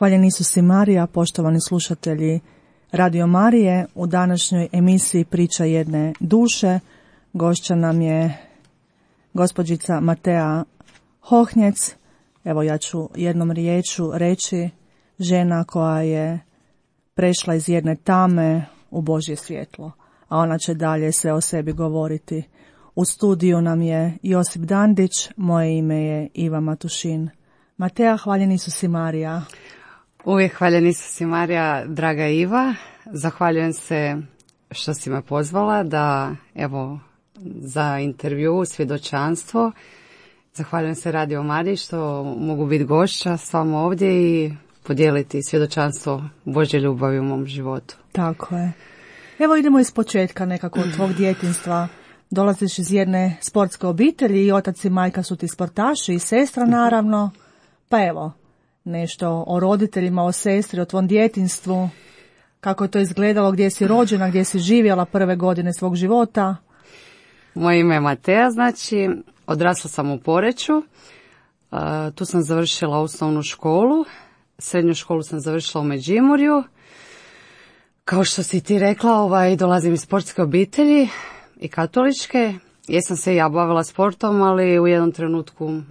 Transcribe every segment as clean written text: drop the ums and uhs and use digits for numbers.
Hvaljen Isus i Marija, poštovani slušatelji Radio Marije. U današnjoj emisiji Priča jedne duše gošća nam je gospođica Matea Hohnjec. Evo, ja ću jednom riječu reći žena koja je prešla iz jedne tame u Božje svjetlo, a ona će dalje sve o sebi govoriti. U studiju nam je Josip Dandić, moje ime je Iva Matušin. Matea, hvaljen Isus i Marija. Uvijek hvaljen Isus i Marija, draga Iva. Zahvaljujem se što si me pozvala da, evo, za intervju, svjedočanstvo. Zahvaljujem se Radio Mariji što mogu biti gošća s vama ovdje i podijeliti svjedočanstvo Božje ljubavi u mom životu. Tako je. Evo idemo iz početka nekako od tvog djetinjstva. Dolaziš iz jedne sportske obitelji i otac i majka su ti sportaši i sestra naravno. Pa evo, nešto o roditeljima, o sestri, o tvom djetinjstvu. Kako je to izgledalo, gdje si rođena, gdje si živjela prve godine svog života? Moje ime je Matea, znači odrasla sam u Poreču. Tu sam završila osnovnu školu. Srednju školu sam završila u Međimurju. Kao što si ti rekla, dolazim iz sportske obitelji i katoličke. Jesam se ja bavila sportom, ali u jednom trenutku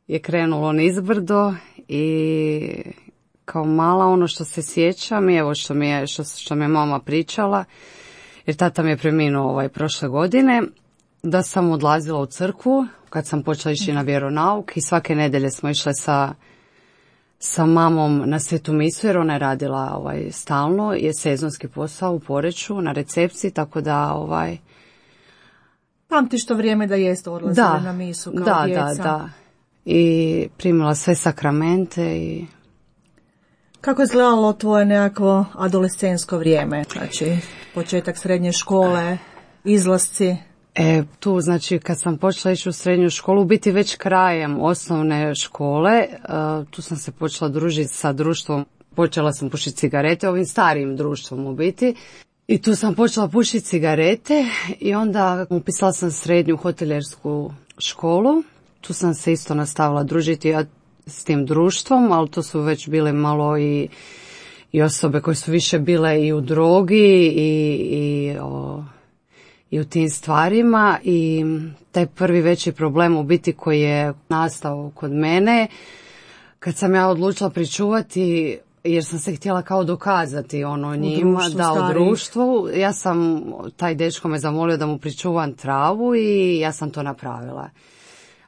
je krenulo nizbrdo i kao mala ono što se sjećam i evo što mi je mama pričala, jer tata mi je preminuo prošle godine, da sam odlazila u crkvu kad sam počela ići na vjeronauk i svake nedjelje smo išle sa mamom na svetu misu, jer ona je radila stalno, je sezonski posao u Poreču na recepciji, tako da Pamtiš to vrijeme da jeste odlazila na misu kao djeca? Da. I primila sve sakramente i... Kako je izgledalo tvoje nekako adolescensko vrijeme? Znači, početak srednje škole, izlasci? Tu, znači, kad sam počela ići u srednju školu, biti već krajem osnovne škole, tu sam se počela družiti sa društvom, počela sam pušiti cigarete, ovim starijim društvom u biti. I tu sam počela pušiti cigarete i onda upisala sam srednju hotelijersku školu. Tu sam se isto nastavila družiti s tim društvom, ali to su već bile malo i osobe koje su više bile i u drogi i u tim stvarima. I taj prvi veći problem u biti koji je nastao kod mene, kad sam ja odlučila pričuvati, jer sam se htjela kao dokazati njima, u društvu. Ja sam, taj dečko me zamolio da mu pričuvam travu i ja sam to napravila.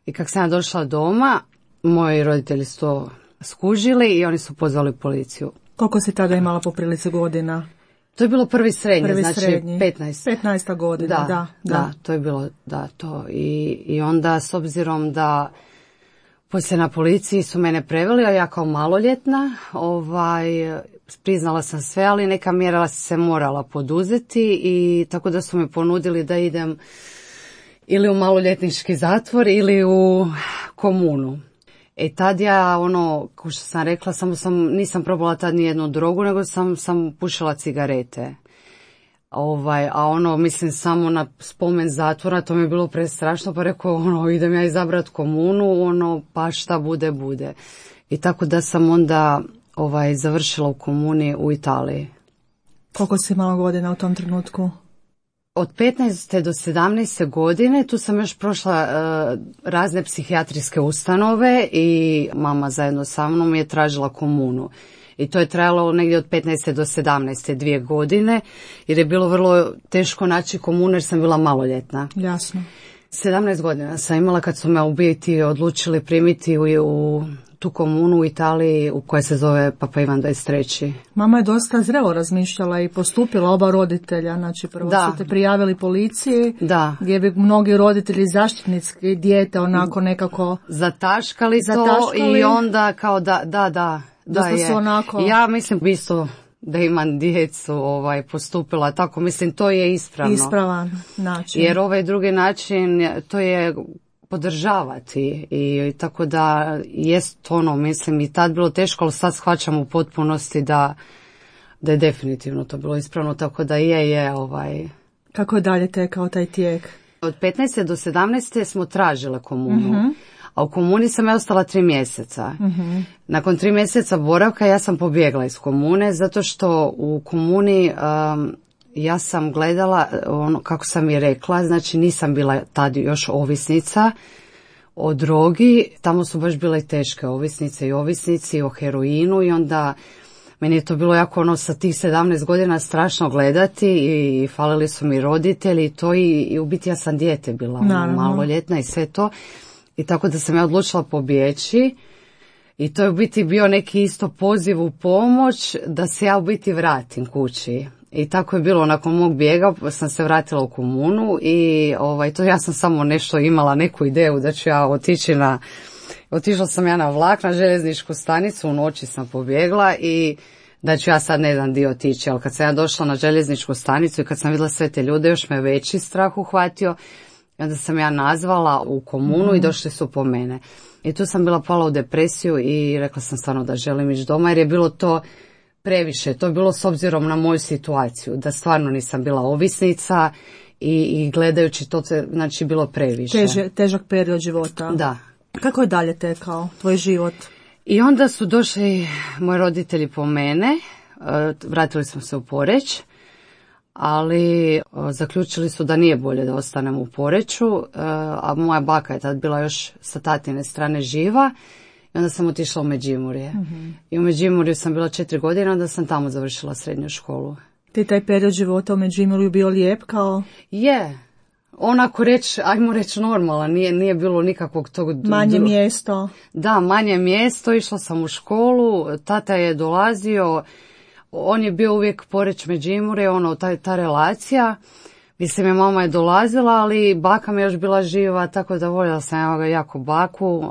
I kako sam ja došla doma, moji roditelji su to skužili i oni su pozvali policiju. Koliko si tada imala po prilici godina? To je bilo prvi srednji, znači srednji. 15. 15. godina, da. To je bilo, to. I onda, s obzirom da poslije na policiji su mene preveli, a ja kao maloljetna, priznala sam sve, ali neka mjera se morala poduzeti i tako da su me ponudili da idem ili u maloljetnički zatvor ili u komunu. Tad ja, kao što sam rekla, nisam probala tad ni jednu drogu, nego sam pušila cigarete. Mislim, samo na spomen zatvora, to mi je bilo prestrašno, pa rekao, idem ja izabrat komunu, pa šta bude, bude. I tako da sam onda, završila u komuni u Italiji. Koliko si imala godina u tom trenutku? Od 15. do 17. godine tu sam još prošla razne psihijatrijske ustanove i mama zajedno sa mnom je tražila komunu. I to je trajalo negdje od 15. do 17. 2 godine, jer je bilo vrlo teško naći komunu jer sam bila maloljetna. Jasno. 17 godina sam imala kad su me u biti odlučili primiti u tu komunu u Italiji koja se zove Papa Ivan 23. Mama je dosta zrelo razmišljala i postupila, oba roditelja. Znači prvo su te prijavili policiji, gdje bi mnogi roditelji zaštitnici dijete onako nekako zataškali to i onda kao da su onako... Ja mislim isto da imam djecu postupila tako, mislim to je ispravno. Ispravan način. Jer ovaj drugi način to je podržavati i tako da jest mislim i tad bilo teško, ali sad shvaćam u potpunosti da je definitivno to bilo ispravno, tako da je. Kako je dalje tekao taj tijek? Od 15. do 17. smo tražile komunu, a u komuni sam ja ostala 3 mjeseca. Nakon 3 mjeseca boravka ja sam pobjegla iz komune, zato što u komuni ja sam gledala, ono, kako sam je rekla, znači nisam bila tad još ovisnica o drogi, tamo su baš bile teške ovisnice i ovisnici o heroinu i onda meni je to bilo jako ono sa tih 17 godina strašno gledati i falili su mi roditelji i to i u biti ja sam dijete bila, maloljetna i sve to. I tako da sam ja odlučila pobjeći i to je u biti bio neki isto poziv u pomoć da se ja u biti vratim kući. I tako je bilo, nakon mog bijega sam se vratila u komunu i to ja sam samo nešto imala, neku ideju da ću ja otišla sam ja na vlak, na željezničku stanicu, u noći sam pobjegla i da ću ja sad ne znam di otići, ali kad sam ja došla na željezničku stanicu i kad sam vidjela sve te ljude, još me veći strah uhvatio. I onda sam ja nazvala u komunu i došli su po mene. I tu sam bila pala u depresiju i rekla sam stvarno da želim ići doma jer je bilo to previše. To je bilo s obzirom na moju situaciju, da stvarno nisam bila ovisnica i gledajući to, znači bilo previše. Težak period života. Da. Kako je dalje tekao tvoj život? I onda su došli moji roditelji po mene, vratili smo se u Poreč, ali zaključili su da nije bolje da ostanem u Poreču, a moja baka je tad bila još sa tatine strane živa i onda sam otišla u Međimurje. I u Međimurju sam bila 4 godine, onda sam tamo završila srednju školu. Ti taj period života u Međimurju bio lijep kao? Je, onako ajmo reći normalan, nije bilo nikakvog tog... Manje mjesto? Da, manje mjesto, išla sam u školu, tata je dolazio, on je bio uvijek Poreč Međimurje, ta relacija. Mislim, mama je dolazila, ali baka mi je još bila živa, tako da voljela sam jako baku.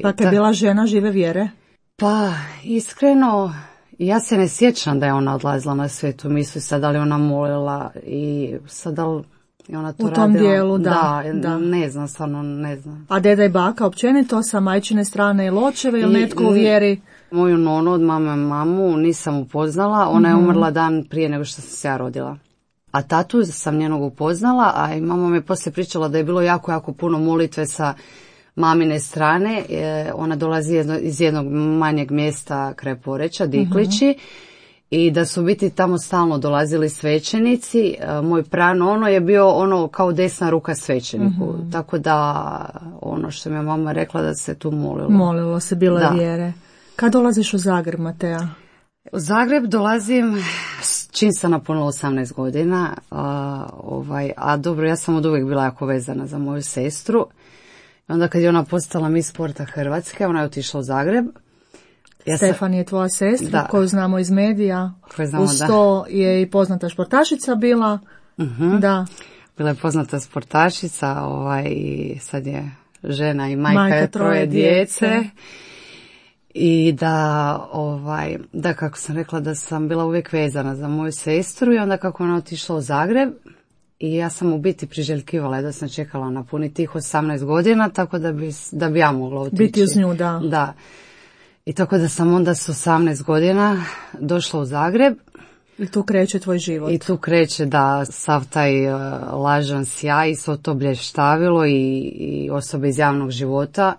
Baka je bila žena žive vjere? Pa, iskreno, ja se ne sjećam da je ona odlazila na svetu misu, sad da li ona molila i sad da li ona to radila. U tom dijelu, da. Ne znam, stvarno ne znam. A deda i baka općenito sa majčine strane ili očeve ili netko u vjeri? Moju nonu od mamu nisam upoznala, ona je umrla dan prije nego što sam se ja rodila. A tatu sam njenog upoznala, a i mama mi poslije pričala da je bilo jako, jako puno molitve sa mamine strane. Ona dolazi iz jednog manjeg mjesta kraj Poreča, Diklići, i da su biti tamo stalno dolazili svećenici. Moj pranono je bio kao desna ruka svećeniku, tako da što mi je mama rekla da se tu molilo. Molilo se, bilo je vjere. Kad dolaziš u Zagreb, Matea? U Zagreb dolazim čim sam napunila 18 godina, a dobro, ja sam od uvijek bila jako vezana za moju sestru. Onda kad je ona postala Miss Sporta Hrvatske, ona je otišla u Zagreb. Stefan je tvoja sestra, koju znamo iz medija. Uz to je i poznata športašica bila. Da. Bila je poznata sportašica, i sad je žena i majka troje djece. I da, kako sam rekla, da sam bila uvijek vezana za moju sestru i onda kako ona otišla u Zagreb i ja sam u biti priželjkivala da sam čekala napuni tih 18 godina, tako da bi ja mogla otići. Biti uz nju, da. Da. I tako da sam onda s 18 godina došla u Zagreb. I tu kreće tvoj život. I tu kreće, da, sav taj lažan sjaj i svo to blještavilo i osobe iz javnog života.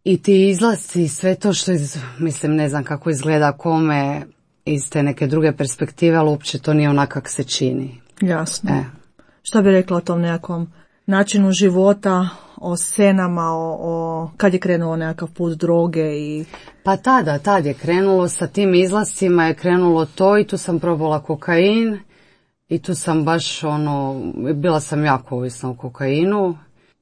I ti izlasci, sve to što, mislim, ne znam kako izgleda kome iz te neke druge perspektive, ali uopće to nije onak kak se čini. Jasno. Što bi rekla o tom nekakvom načinu života, o scenama, kad je krenuo nekakav put droge i... Pa tad je krenulo sa tim izlascima, je krenulo to i tu sam probala kokain i tu sam baš bila sam jako ovisna o kokainu.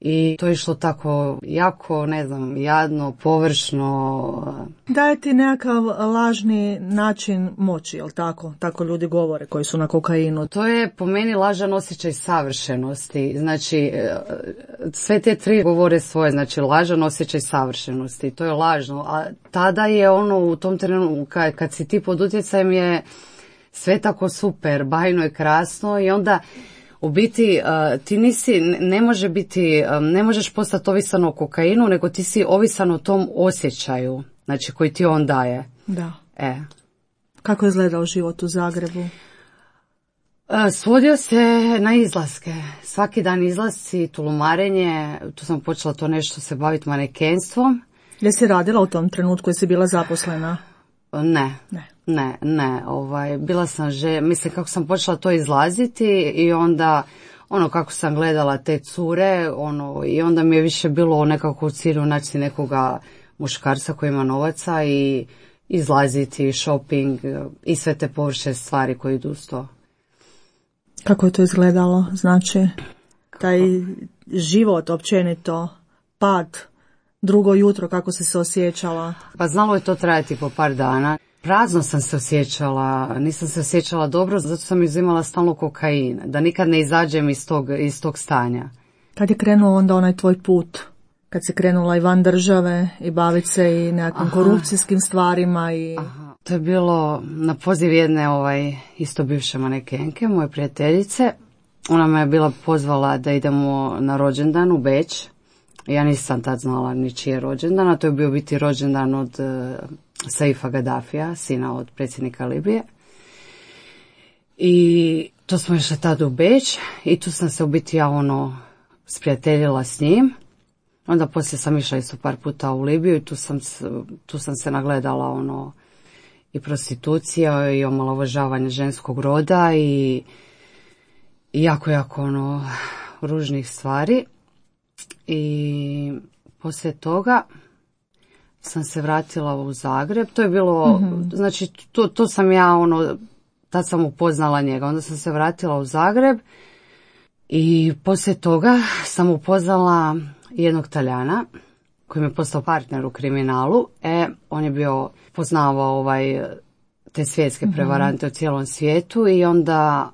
I to je išlo tako jako, ne znam, jadno, površno. Daje ti nekakav lažni način moći, jel tako? Tako ljudi govore koji su na kokainu. To je po meni lažan osjećaj savršenosti. Znači, sve te tri govore svoje, znači lažan osjećaj savršenosti. To je lažno. A tada je u tom trenutku, kad si ti pod utjecajem, je sve tako super, bajno i krasno i onda... U biti ti ne možeš postati ovisan o kokainu, nego ti si ovisan o tom osjećaju, znači koji ti on daje. Da. Kako je izgledao život u Zagrebu? Svodio se na izlaske. Svaki dan izlasci, tulumarenje, tu sam počela to nešto se baviti manekenstvom. Jesi radila u tom trenutku, jesi bila zaposlena? Ne. Bila sam mislim kako sam počela to izlaziti i onda kako sam gledala te cure, i onda mi je više bilo nekako u cilju naći nekoga muškarca koji ima novaca i izlaziti, shopping i sve te površe stvari koje idu uz to. Kako je to izgledalo? Znači, taj život općenito, pad, drugo jutro, kako si se osjećala? Pa znalo je to trajati po par dana. Prazno sam se osjećala, nisam se osjećala dobro, zato sam uzimala stalno kokain, da nikad ne izađem iz tog stanja. Kad je krenuo onda onaj tvoj put? Kad si krenula i van države i baviti se i nekakvim korupcijskim stvarima i... To je bilo na poziv jedne isto bivše manekenke, moje prijateljice. Ona me je bila pozvala da idemo na rođendan u Beč. Ja nisam tad znala ni čiji je rođendan, a to je bio biti rođendan od Saifa Gaddafija, sina od predsjednika Libije. I to smo išli tad u Beč i tu sam se u biti sprijateljila s njim. Onda poslije sam išla isto par puta u Libiju i tu sam se nagledala i prostitucija i omalovažavanje ženskog roda i jako ružnih stvari. I poslije toga sam se vratila u Zagreb. To je bilo, znači to sam ja tad sam upoznala njega. Onda sam se vratila u Zagreb i poslije toga sam upoznala jednog Talijana koji mi je postao partner u kriminalu. On je poznavao te svjetske prevarante u cijelom svijetu i onda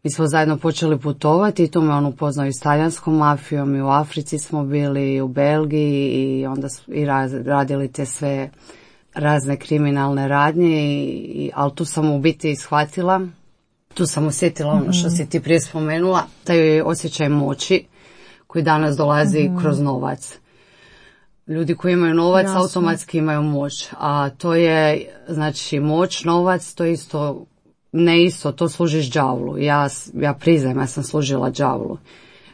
mi smo zajedno počeli putovati i tu me on upoznao i s talijanskom mafijom i u Africi smo bili i u Belgiji i onda radili te sve razne kriminalne radnje, ali tu sam u biti shvatila, tu sam osjetila što si ti prije spomenula, taj osjećaj moći koji danas dolazi kroz novac. Ljudi koji imaju novac automatski imaju moć, a to je, znači, moć, novac, to je isto, ne isto, to služiš đavlu. Ja priznajem, ja sam služila đavlu.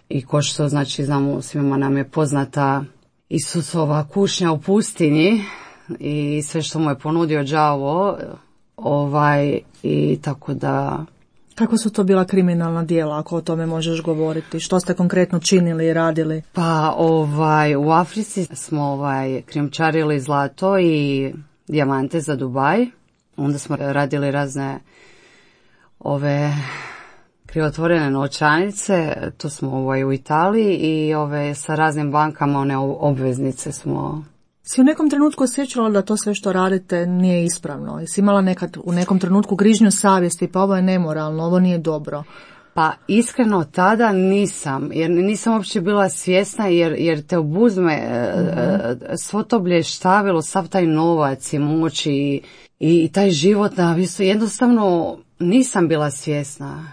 I ko što, znači, znamo, svima nam je poznata Isusova kušnja u pustinji i sve što mu je ponudio đavo, i tako da... Kako su to bila kriminalna djela, ako o tome možeš govoriti? Što ste konkretno činili i radili? Pa, u Africi smo krijumčarili zlato i dijamante za Dubaj. Onda smo radili razne krivotvorene novčanice, to smo u Italiji i sa raznim bankama, one obveznice smo... Si u nekom trenutku osjećala da to sve što radite nije ispravno? Jesi imala nekad u nekom trenutku grižnju savjesti, pa ovo je nemoralno, ovo nije dobro? Pa iskreno tada nisam, jer nisam uopće bila svjesna, jer te obuzme svo to blještavilo, sav taj novac i moć i taj život na visu, jednostavno nisam bila svjesna.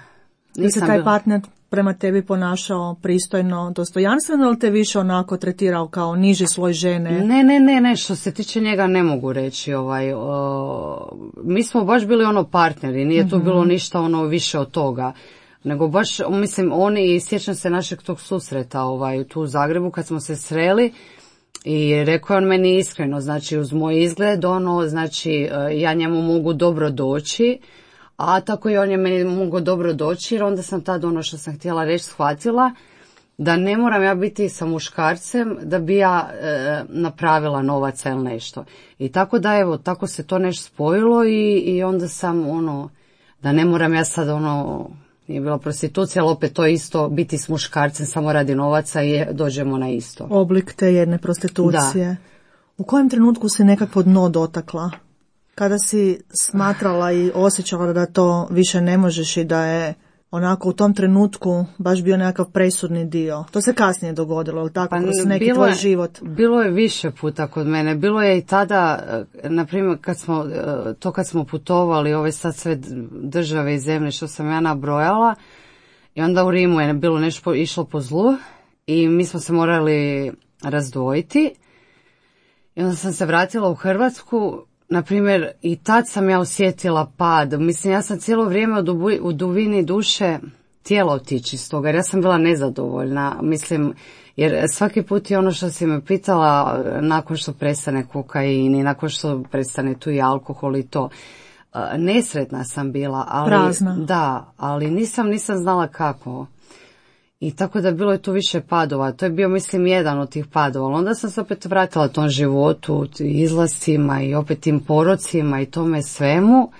Ili se taj partner prema tebi ponašao pristojno, dostojanstveno, ili te više onako tretirao kao niži sloj žene? Ne, što se tiče njega ne mogu reći. Mi smo baš bili partneri, nije tu bilo ništa više od toga. Nego baš, mislim, i sjećam se našeg tog susreta tu u Zagrebu kad smo se sreli i rekao je on meni iskreno, znači uz moj izgled, znači ja njemu mogu dobro doći, a tako i on je meni mogao dobro doći, jer onda sam tad što sam htjela reći shvatila da ne moram ja biti sa muškarcem da bi ja napravila novaca ili nešto. I tako da evo, tako se to nešto spojilo i onda sam da ne moram ja sad nije bila prostitucija, ali opet to isto biti s muškarcem samo radi novaca i dođemo na isto. Oblik te jedne prostitucije. Da. U kojem trenutku si nekakvo dno dotakla? Kada si smatrala i osjećala da to više ne možeš i da je onako u tom trenutku baš bio nekakav presudni dio? To se kasnije dogodilo, ili tako, kroz neki tvoj život? Bilo je više puta kod mene. Bilo je i tada, na primjer, kad smo putovali, ove sad sve države i zemlje što sam ja nabrojala, i onda u Rimu je bilo nešto išlo po zlu i mi smo se morali razdvojiti. I onda sam se vratila u Hrvatsku na primjer, i tad sam ja osjetila pad. Mislim, ja sam cijelo vrijeme u dubini duše htjela otići iz toga, jer ja sam bila nezadovoljna. Mislim, jer svaki put je ono što si me pitala, nakon što prestane kokain i nakon što prestane tu i alkohol i to, nesretna sam bila. Ali, prazna. Da, ali nisam znala kako. I tako da bilo je tu više padova. To je bio, mislim, jedan od tih padova. Ali onda sam se opet vratila tom životu, izlascima i opet tim porocima i tome svemu.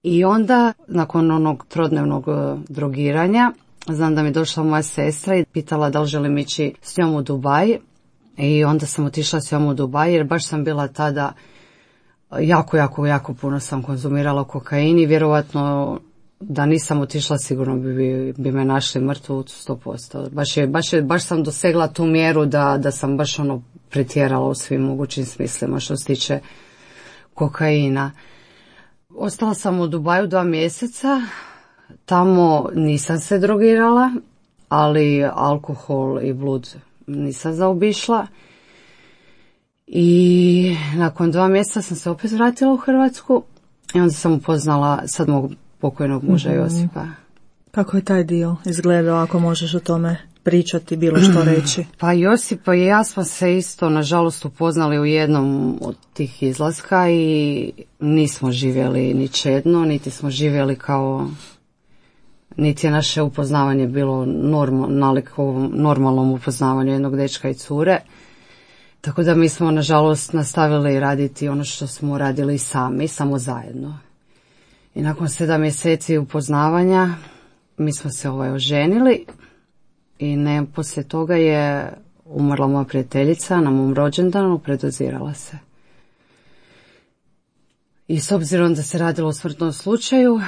I onda, nakon onog trodnevnog drogiranja, znam da mi je došla moja sestra i pitala da li želim ići s njom u Dubaj. I onda sam otišla s njom u Dubaj jer baš sam bila tada jako puno sam konzumirala kokain i vjerovatno da nisam otišla sigurno bi me našli mrtvu 100%. Baš sam dosegla tu mjeru da sam baš pretjerala u svim mogućim smislima što se tiče kokaina. Ostala sam u Dubaju 2 mjeseca, tamo nisam se drogirala, ali alkohol i blud nisam zaobišla. I nakon 2 mjeseca sam se opet vratila u Hrvatsku i onda sam upoznala sad mog pokojnog muža Josipa. Kako je taj dio izgledao, ako možeš o tome pričati, bilo što reći? Pa Josipa i ja smo se isto, nažalost, upoznali u jednom od tih izlaska i nismo živjeli ni čedno, niti smo živjeli kao, niti je naše upoznavanje bilo nalik ovom normalnom upoznavanju jednog dečka i cure. Tako da mi smo, nažalost, nastavili raditi ono što smo radili sami, samo zajedno. I nakon 7 mjeseci upoznavanja mi smo se oženili i poslije toga je umrla moja prijateljica na mom rođendanu, predozirala se. I s obzirom da se radilo o smrtnom slučaju...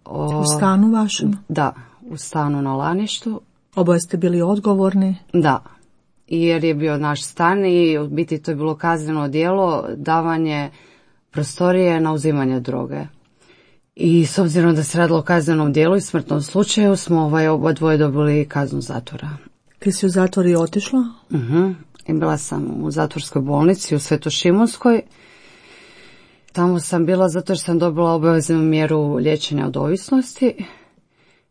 U stanu vašem? Da, u stanu na Laništu. Oboje ste bili odgovorni? Da, jer je bio naš stan i u biti to je bilo kazneno djelo, davanje prostorije na uzimanje droge. I s obzirom da se radilo o kaznenom djelu i smrtnom slučaju smo oba dvoje dobili kaznu zatvora. Ti si u zatvor i otišla? I bila sam u zatvorskoj bolnici u Svetošimunskoj. Tamo sam bila zato jer sam dobila obaveznu mjeru liječenja od ovisnosti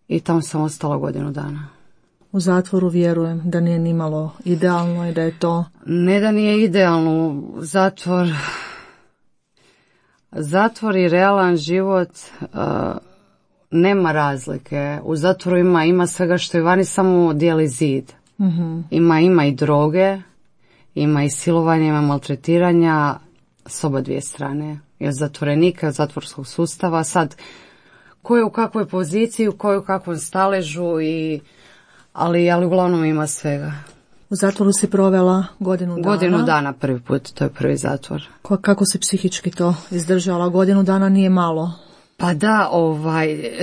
i tamo sam ostala 1 godinu dana. U zatvoru vjerujem da nije nimalo idealno i da je to... Ne da nije idealno, zatvor i realan život nema razlike. U zatvoru ima svega što je vani, samo dijeli zid. Ima i droge, ima i silovanja, ima maltretiranja s oba dvije strane. I od zatvorenika, od zatvorskog sustava. Sad, ko je u kakvoj poziciji, ko je u kakvom staležu, ali uglavnom ima svega. U zatvoru si provela 1 godinu dana? 1 godinu dana prvi put, to je prvi zatvor. Kako si psihički to izdržala? 1 godinu dana nije malo. Pa da,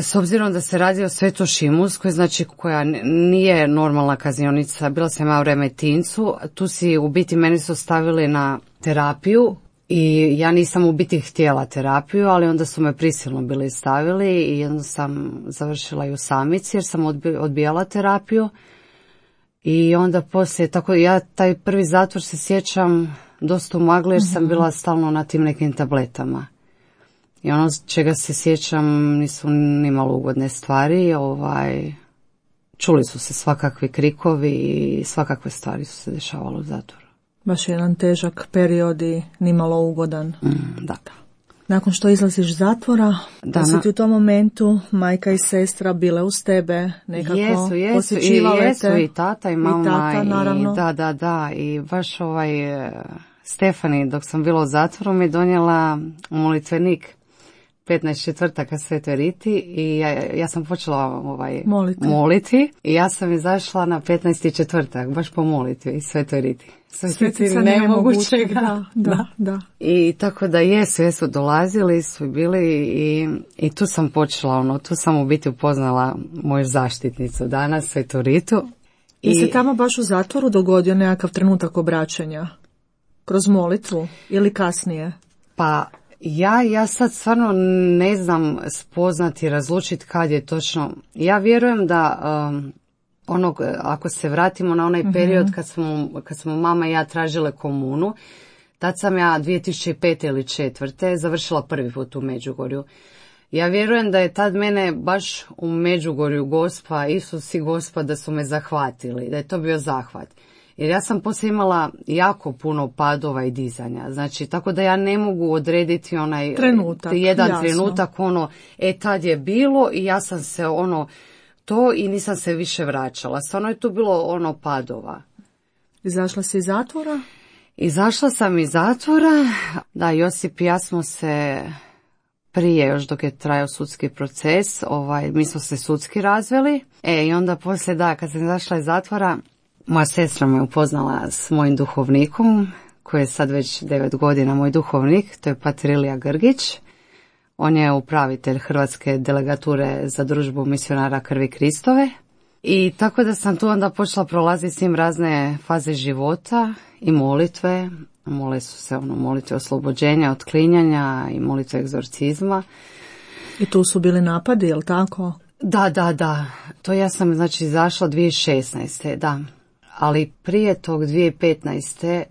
s obzirom da se radi o Svetošimunskoj, znači koja nije normalna kaznionica, bila sam ja u Remetincu, tu si u biti meni su stavili na terapiju i ja nisam u biti htjela terapiju, ali onda su me prisilno bili stavili i onda sam završila i u samici jer sam odbijala terapiju. I onda poslije, tako ja taj prvi zatvor se sjećam dosta u magli jer sam bila stalno na tim nekim tabletama. I ono čega se sjećam nisu nimalo ugodne stvari, čuli su se svakakvi krikovi i svakakve stvari su se dešavale u zatvoru. Baš jedan težak period i nimalo ugodan. Da. Nakon što izlaziš iz zatvora, da si ti u tom momentu majka i sestra bile uz tebe, nekako posjećivale te. Jesu i tata i mama. I tata, naravno. Da. I baš Stefani, dok sam bila u zatvoru, mi donijela molitvenik 15 četvrtaka Svetoj Riti i ja sam počela moliti i ja sam izašla na 15. četvrtak, baš po molitvi Svetoj Riti. Svetica nemogućega. Da. I tako da jesu dolazili, su bili i tu sam počela, tu sam u biti upoznala moju zaštitnicu danas, Svetu Ritu. I se tamo baš u zatvoru dogodio nekakav trenutak obraćanja? Kroz molitvu ili kasnije? Pa ja sad stvarno ne znam spoznati, razlučiti kad je točno. Ja vjerujem da ako se vratimo na onaj period kad smo mama i ja tražile komunu, Tad sam ja 2005. ili 2004. završila prvi put u Međugorju. Ja vjerujem da je tad mene baš u Međugorju Gospa, Isus i Gospa da su me zahvatili, da je to bio zahvat. Jer ja sam poslije imala jako puno padova i dizanja. Znači, tako da ja ne mogu odrediti onaj trenutak, tad je bilo i ja sam se to i nisam se više vraćala. Stvarno je tu bilo padova. Izašla si iz zatvora? Izašla sam iz zatvora. Da, Josip i ja smo se prije, još dok je trajao sudski proces, mi smo se sudski razveli. I onda poslije, kad sam izašla iz zatvora, moja sestra me upoznala s mojim duhovnikom, koji je sad već 9 godina moj duhovnik, to je Pater Ilija Grgić. On je upravitelj Hrvatske delegature za družbu misionara Krvi Kristove. I tako da sam tu onda počela prolaziti s njim razne faze života i molitve. Mole su se molitve oslobođenja, otklinjanja i molitve egzorcizma. I tu su bili napadi, jel tako? Da. To ja sam izašla 2016. Da. Ali prije tog 2015.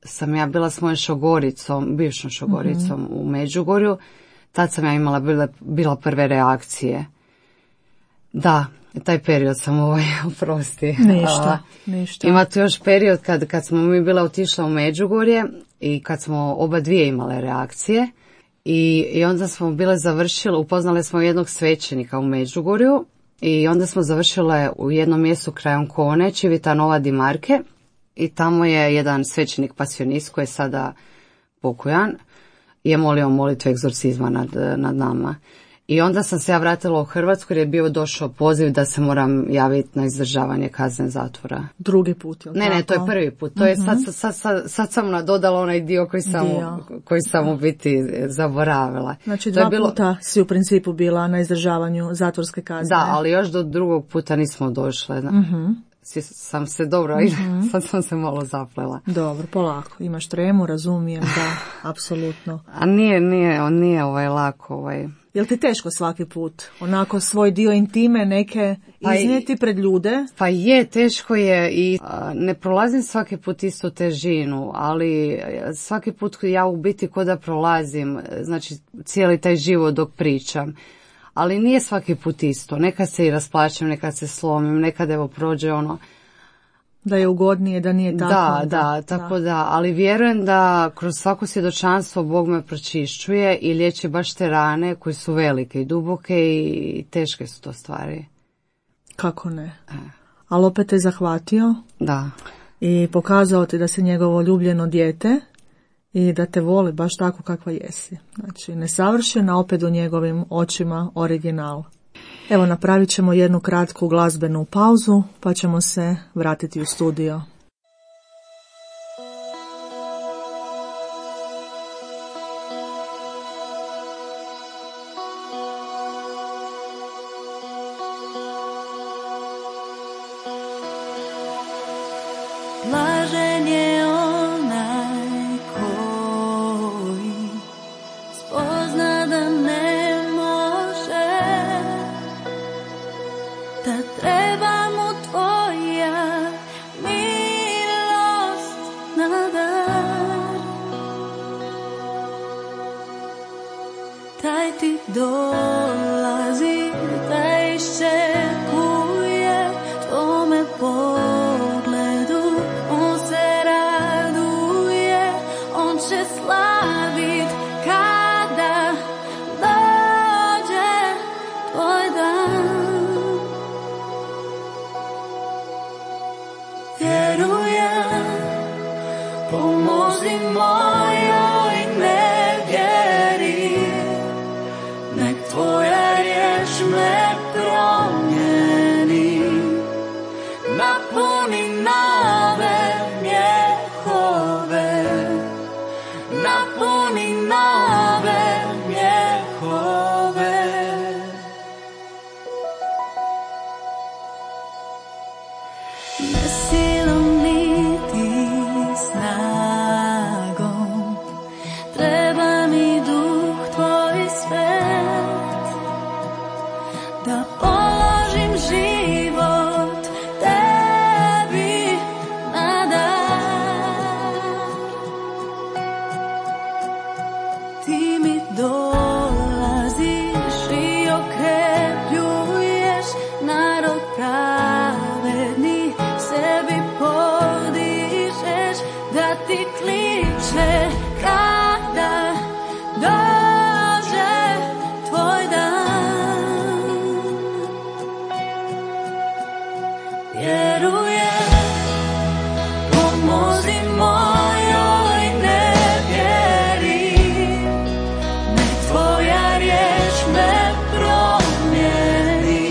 sam ja bila s mojom šogoricom, bivšom šogoricom u Međugorju. Tad sam ja bila prve reakcije. Da, taj period sam oprosti. Ništa. Ima tu još period kad smo mi bila otišla u Međugorje i kad smo oba dvije imale reakcije. I onda smo bile završile, upoznali smo jednog svećenika u Međugorju i onda smo završile u jednom mjestu kraj Ancone, Civitanova di Marche, i tamo je jedan svećenik pasionist koji je sada pokojan, je molio molitvu egzorcizma nad nama. I onda sam se ja vratila u Hrvatsku jer je bio došao poziv da se moram javiti na izdržavanje kazne zatvora. Drugi put, jel' tako? Ne, to je prvi put. To je sad sam nadodala onaj dio koji sam u biti zaboravila. Znači puta si u principu bila na izdržavanju zatvorske kazne. Da, ali još do drugog puta nismo došle. Sam se dobro, sad sam se malo zaplela. Dobro, polako. Imaš tremu, razumijem, da, apsolutno. A nije lako. Jel ti teško svaki put? Onako svoj dio intime neke iznijeti pred ljude? Pa je, teško je i ne prolazim svaki put istu težinu, ali svaki put ja u biti ko da prolazim, znači cijeli taj život dok pričam. Ali nije svaki put isto. Nekad se i rasplačem, nekad se slomim, nekad prođe da je ugodnije, da nije tako. Da, ali vjerujem da kroz svako svjedočanstvo Bog me pročišćuje i liječi baš te rane koje su velike i duboke i teške su to stvari. Kako ne? Ali opet te zahvatio. Da. I pokazao ti da si njegovo ljubljeno dijete i da te voli baš tako kakva jesi. Znači, nesavršena, opet u njegovim očima original. Evo, napravit ćemo jednu kratku glazbenu pauzu, pa ćemo se vratiti u studio. Blažen je onaj koji spozna da ne može, da treba mu tvoja milost na dar. Taj ti dolazi, taj iščekuje tvome pogledu. On se raduje, on će slavit kada dođe tvoj dan. Vjerujem, pomozi mojoj nevjeri, nek tvoja riječ me promijeni. Napuni nove mjehove, napuni nove mjehove. Ne silom niti snagom, treba mi duh tvoj svet, da ti kliče kada dođe tvoj dan. Vjerujem, pomozi mojoj nevjeri, nek tvoja riječ me promijeni,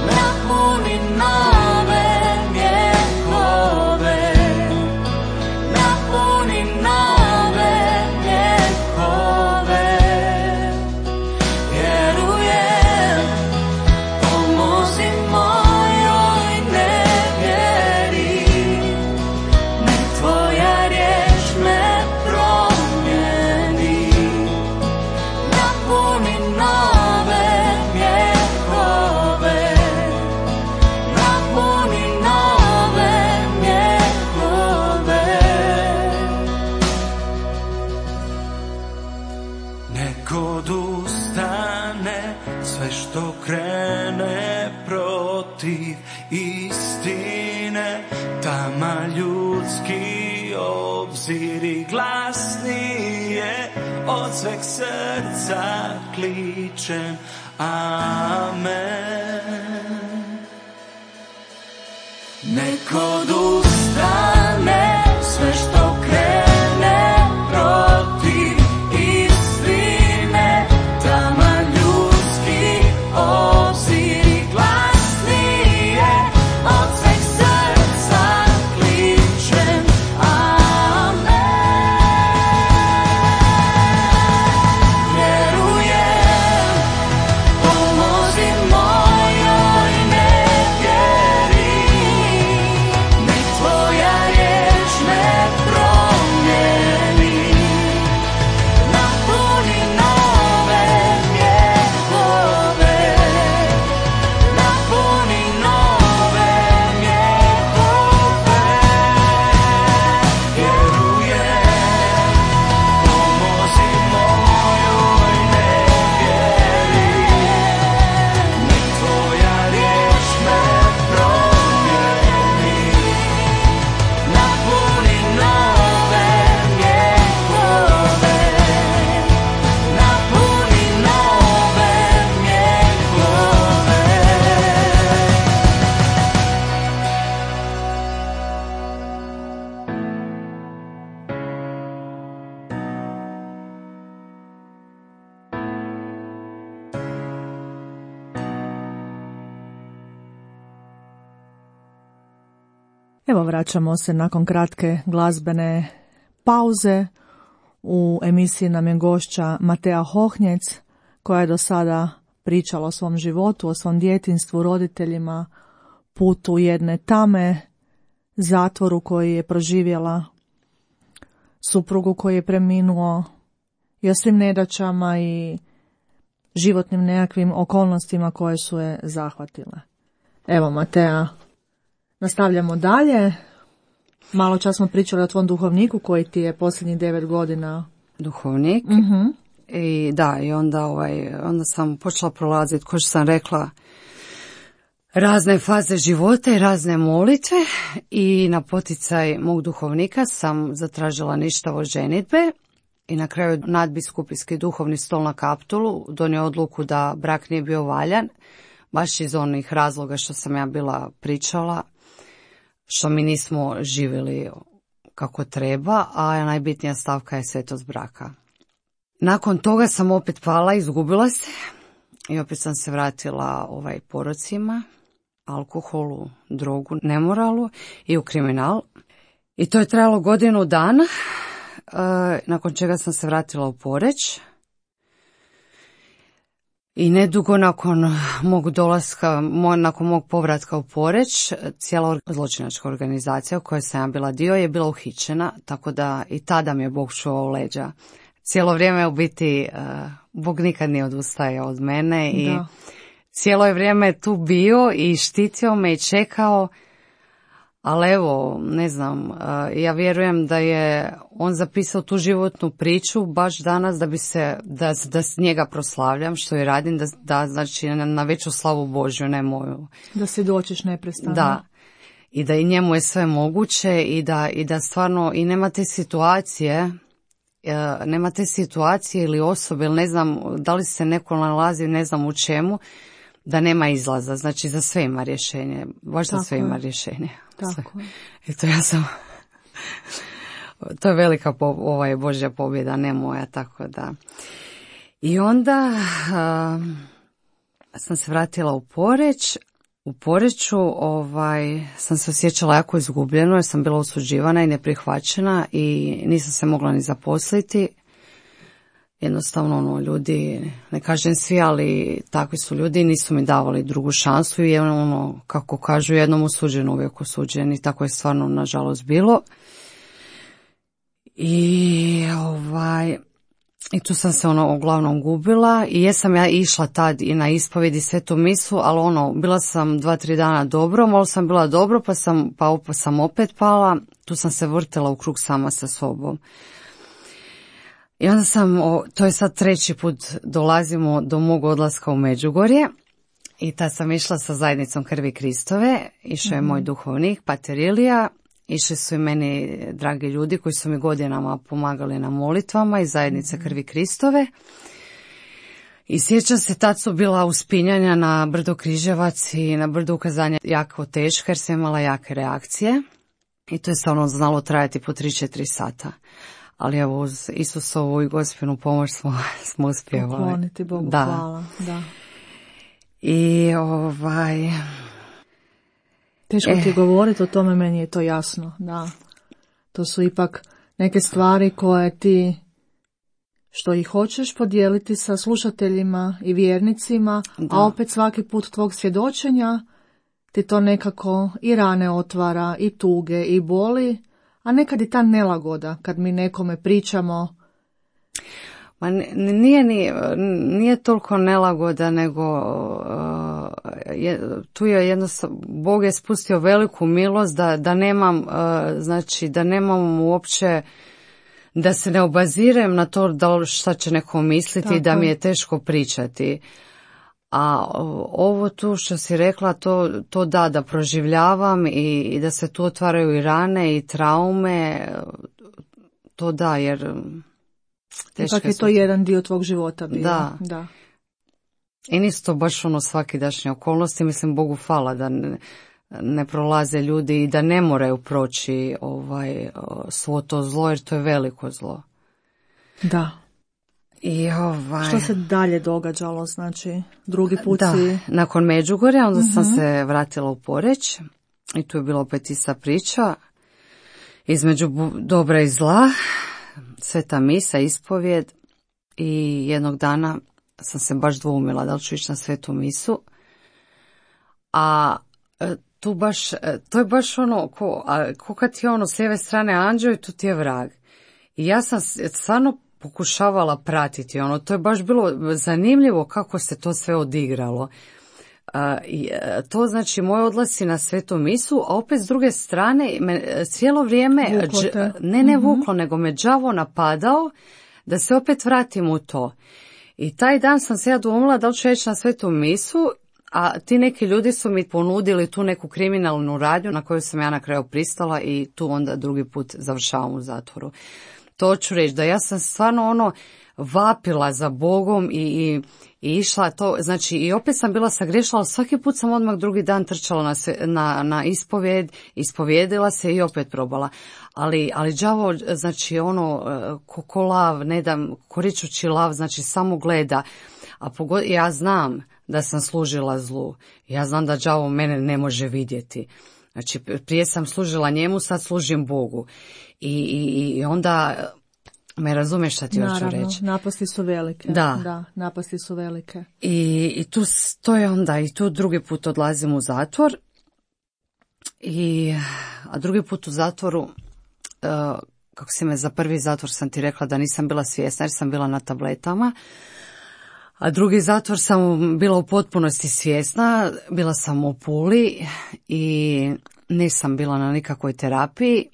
napuni nove mjehove, napuni nove mjehove. Vjerujem, pomozi mojoj nevjeri, nek tvoja riječ me promijeni, napuni nove mjehove, napuni nove mjehove. Nek odustane sve što krene protiv istine, tama ljudski obziri glasnije od sveg srca kličem amen. Nek odustane sve što krene protiv istine, tama ljudski obziri glasnije od sveg srca kličem amen. Vjerujem, pomozi mojoj nevjeri, nek tvoja riječ me promijeni, napuni nove mjehove, napuni nove mjehove. Vjerujem, pomozi mojoj nevjeri, nek tvoja riječ me promijeni, napuni nove mjehove, napuni nove mjehove. Evo, vraćamo se nakon kratke glazbene pauze. U emisiji nam je gošća Matea Hohnjec, koja je do sada pričala o svom životu, o svom djetinjstvu, roditeljima, putu jedne tame, zatvoru koji je proživjela, suprugu koji je preminuo i o svim nedaćama i životnim nekakvim okolnostima koje su je zahvatile. Evo, Matea, nastavljamo dalje. Malo čas smo pričali o tvom duhovniku koji ti je posljednjih 9 godina. Duhovnik. I da, i onda sam počela prolaziti, kao što sam rekla, razne faze života i razne molitve i na poticaj mog duhovnika sam zatražila ništavo ženidbe i na kraju nadbiskupijski duhovni stol na Kaptolu donio odluku da brak nije bio valjan, baš iz onih razloga što sam ja bila pričala, što mi nismo živjeli kako treba, a najbitnija stavka je svetost braka. Nakon toga sam opet pala, izgubila se i opet sam se vratila porocima, alkoholu, drogu, nemoralu i u kriminal. I to je trajalo godinu dana, nakon čega sam se vratila u Poreč. I nedugo nakon mog dolaska, nakon mog povratka u Poreč, cijela zločinačka organizacija u kojoj sam ja bila dio je bila uhićena, tako da i tada mi je Bog čuvao leđa. Cijelo vrijeme u biti Bog nikad nije odustajao od mene i cijelo je vrijeme tu bio i štitio me i čekao, ali evo, ne znam, ja vjerujem da je on zapisao tu životnu priču baš danas da bi se, da s njega proslavljam što i radim, da znači na veću slavu Božju, ne moju. Da si doćiš neprestano. Da. i da i njemu je sve moguće i da stvarno i nema te situacije ili osobe, ili ne znam da li se neko nalazi, ne znam u čemu, da nema izlaza. Znači za sve ima rješenje, baš za sve ima rješenje. Tako je. Eto, ja sam... To je velika Božja pobjeda, ne moja, tako da. I onda sam se vratila u Poreč. U Poreču sam se osjećala jako izgubljeno jer sam bila osuđivana i neprihvaćena i nisam se mogla ni zaposliti. Jednostavno ljudi, ne kažem svi, ali takvi su ljudi, nisu mi davali drugu šansu i kako kažu, jednom osuđen, uvijek osuđen i tako je stvarno nažalost bilo. I tu sam se uglavnom gubila i jesam ja išla tad i na ispovjedi svetu misu, ali bila sam 2-3 dana dobro, malo sam bila dobro, pa sam opet pala, tu sam se vrtela u krug sama sa sobom. I onda to je sad 3. put dolazimo do mog odlaska u Međugorje i tad sam išla sa zajednicom Krvi Kristove, išao je moj duhovnik, pater Ilija. Išli su i meni dragi ljudi koji su mi godinama pomagali na molitvama iz zajednice Krvi Kristove. I sjećam se, tad su bila uspinjanja na brdo Križevac i na brdo Ukazanja jako teška jer sam imala jake reakcije. I to je stvarno znalo trajati po 3-4 sata. Ali evo, uz Isusovu i Gospinu pomoć smo uspjevali. Pokloniti Bogu, hvala. Da. I teško ti govoriti o tome, meni je to jasno, da. To su ipak neke stvari koje ti, što ih hoćeš podijeliti sa slušateljima i vjernicima, a opet svaki put tvog svjedočenja ti to nekako i rane otvara, i tuge, i boli, a nekad i ta nelagoda, kad mi nekome pričamo. Ma nije toliko nelagoda, nego tu je jednostavno, Bog je spustio veliku milost da nemam, znači da nemam uopće, da se ne obazirem na to šta će neko misliti i da mi je teško pričati. A ovo tu što si rekla, to da proživljavam i da se tu otvaraju i rane i traume, to da, jer... Ipak je to jedan dio tvog života bio. Da. I nisu to baš svakidašnje okolnosti, mislim Bogu hvala da ne prolaze ljudi i da ne moraju proći svo to zlo, jer to je veliko zlo. Da. I Što se dalje događalo, znači drugi put si... Nakon Međugorja onda sam se vratila u Poreč i tu je bila opet ista priča između dobra i zla. Sveta misa, ispovjed i jednog dana sam se baš dvoumila da li ću ići na svetu misu. A to je baš ko kad ti je s lijeve strane anđeo i tu ti je vrag. I ja sam stvarno pokušavala pratiti to je baš bilo zanimljivo kako se to sve odigralo. To znači moj odlasci na svetu misu, a opet s druge strane cijelo vrijeme vuklo, nego me đavo napadao da se opet vratim u to. I taj dan sam se ja dvoumila da li ću ići na svetu misu, a ti neki ljudi su mi ponudili tu neku kriminalnu radnju na koju sam ja na kraju pristala i tu onda drugi put završavam u zatvoru. To ću reći da ja sam stvarno vapila za Bogom i išla to, znači i opet sam bila sagriješila, ali svaki put sam odmah drugi dan trčala na ispovjed, ispovjedila se i opet probala. Ali đavo, znači ko lav, ne dam, koričući lav, znači samo gleda. A ja znam da sam služila zlu, ja znam da đavo mene ne može vidjeti. Znači prije sam služila njemu, sad služim Bogu. I onda... Me razumeš šta ti hoću reći? Napasti su velike. Da, napasti su velike. I to je onda, i tu drugi put odlazim u zatvor. A drugi put u zatvoru, kako si me za prvi zatvor sam ti rekla da nisam bila svjesna jer sam bila na tabletama. A drugi zatvor sam bila u potpunosti svjesna, bila sam u Puli i nisam bila na nikakvoj terapiji.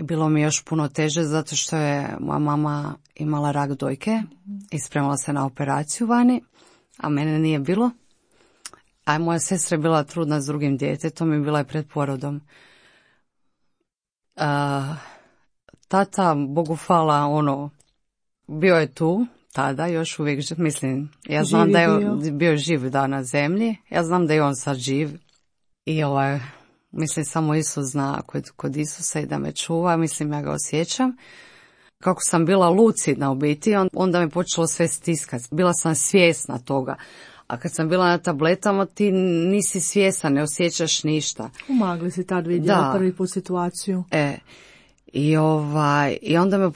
Bilo mi je još puno teže zato što je moja mama imala rak dojke i spremala se na operaciju vani, a mene nije bilo. A moja sestra je bila trudna s drugim djetetom i bila je pred porodom. Tata, Bogu hvala, bio je tu tada, još uvijek, mislim, ja znam Živ da je je bio živ na zemlji, ja znam da je on sad živ i mislim, samo Isus zna kod Isusa i da me čuva, mislim, ja ga osjećam. Kako sam bila lucidna u biti, onda me počelo sve stiskati, bila sam svjesna toga. A kad sam bila na tabletama, ti nisi svjesna, ne osjećaš ništa. Umagli si tad vidjela prvi put situaciju. I onda me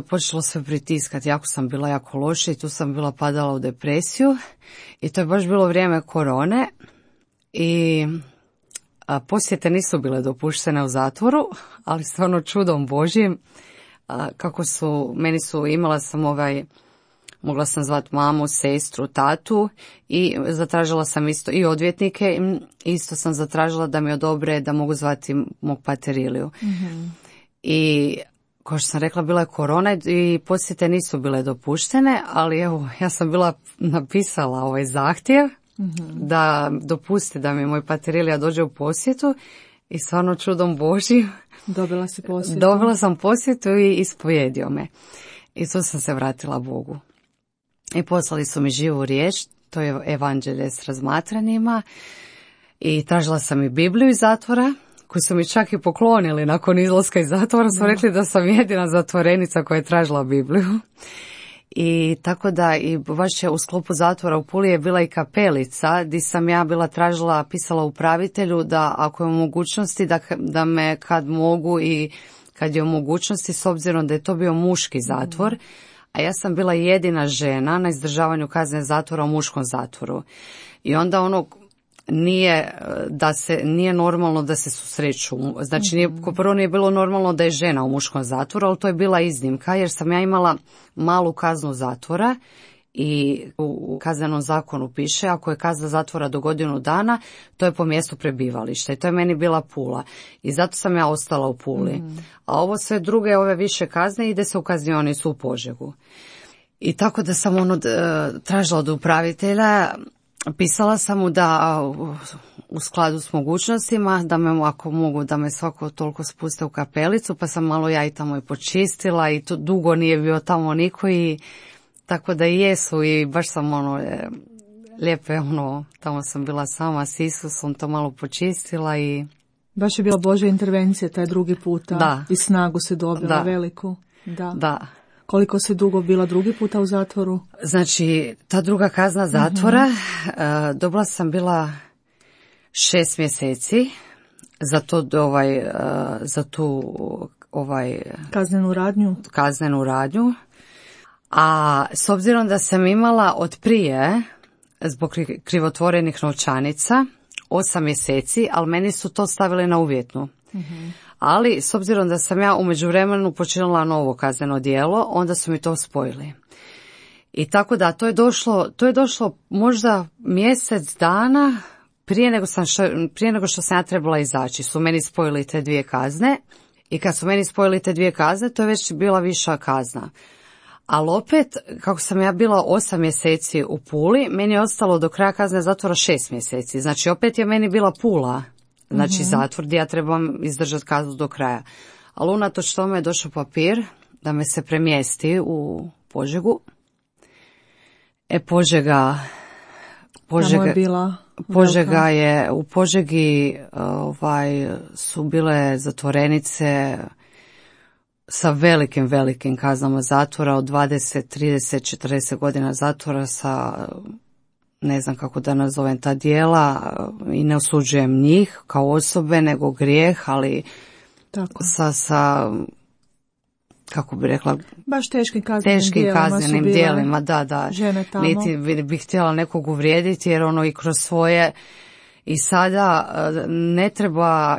počelo sve pritiskati. Jako sam bila jako loša i tu sam bila padala u depresiju. I to je baš bilo vrijeme korone. I posjete nisu bile dopuštene u zatvoru, ali stvarno čudom Božjim. Imala sam mogla sam zvati mamu, sestru, tatu i zatražila sam isto i odvjetnike, isto sam zatražila da mi odobre da mogu zvati mog pateriliju. Mm-hmm. I kao što sam rekla, bila je korona i posjete nisu bile dopuštene, ali evo, ja sam bila napisala ovaj zahtjev da dopusti da mi moj paterilija dođe u posjetu i stvarno čudom Božjim dobila si posjetu. Dobila sam posjetu i ispojedio me. I tu sam se vratila Bogu. I poslali su mi živu riječ, to je evanđelje s razmatranjima. I tražila sam i Bibliju iz zatvora, koju su mi čak i poklonili nakon izlaska iz zatvora. Su rekli da sam jedina zatvorenica koja je tražila Bibliju. I tako da i baš je u sklopu zatvora u Puli je bila i kapelica gdje sam ja bila pisala upravitelju da ako je u mogućnosti da me kad mogu i kad je u mogućnosti, s obzirom da je to bio muški zatvor, a ja sam bila jedina žena na izdržavanju kazne zatvora u muškom zatvoru. I onda nije normalno da se susreću. Znači, prvo nije bilo normalno da je žena u muškom zatvoru, ali to je bila iznimka, jer sam ja imala malu kaznu zatvora i u kaznenom zakonu piše, ako je kazna zatvora do godinu dana, to je po mjestu prebivališta i to je meni bila Pula. I zato sam ja ostala u Puli. A ovo sve druge, ove više kazne, ide se u kaznionicu u Požegu. I tako da sam tražila od upravitelja, pisala sam mu da u skladu s mogućnostima, da me ako mogu da me svako toliko spuste u kapelicu, pa sam malo ja i tamo i počistila i to dugo nije bio tamo niko i tako da jesu i baš sam lijepe tamo sam bila sama s Isusom, to malo počistila i... Baš je bila Božja intervencija taj drugi puta. Da. I snagu se dobila veliku. Da. Koliko se dugo bila drugi puta u zatvoru? Znači, ta druga kazna zatvora, dobila sam bila 6 mjeseci za tu kaznenu radnju. A s obzirom da sam imala od prije, zbog krivotvorenih novčanica, 8 mjeseci, ali meni su to stavili na uvjetnu. Ali s obzirom da sam ja u međuvremenu počinila novo kazneno djelo, onda su mi to spojili. I tako da to je došlo možda mjesec dana prije nego što sam ja trebala izaći. Su meni spojili te 2 kazne i kad su meni spojili te 2 kazne, to je već bila viša kazna. Ali opet, kako sam ja bila 8 mjeseci u Puli, meni je ostalo do kraja kazne zatvora 6 mjeseci. Znači opet je meni bila Pula. Znači zatvor gdje ja trebam izdržati kaznu do kraja. Ali unatoč tome je došao papir da me se premjesti u Požegu. Požega je, u Požegi su bile zatvorenice sa velikim kaznama zatvora od 20, 30, 40 godina zatvora sa... ne znam kako da nazovem ta djela i ne osuđujem njih kao osobe, nego grijeh, ali sa kako bi rekla, baš teškim kaznenim djelima, da. Žene tamo. Niti bih htjela nekog uvrijediti, jer i kroz svoje i sada ne treba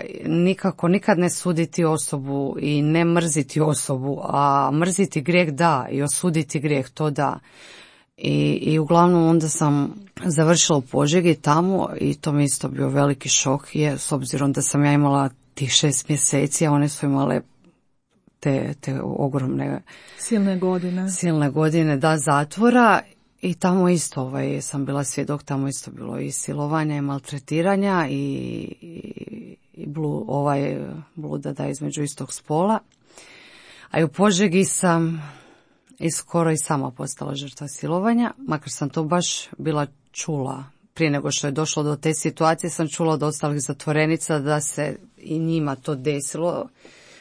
nikad ne suditi osobu i ne mrziti osobu, a mrziti grijeh da i osuditi grijeh to da. I uglavnom onda sam završila u Požegi tamo i to mi isto bio veliki šok, s obzirom da sam ja imala tih 6 mjeseci, a one su imale te ogromne silne godine zatvora i tamo isto sam bila svjedok, tamo isto bilo i silovanja i maltretiranja i bluda da između istog spola. A i u Požegi sam i skoro i sama postala žrtva silovanja, makar sam to baš bila čula. Prije nego što je došlo do te situacije sam čula od ostalih zatvorenica da se i njima to desilo.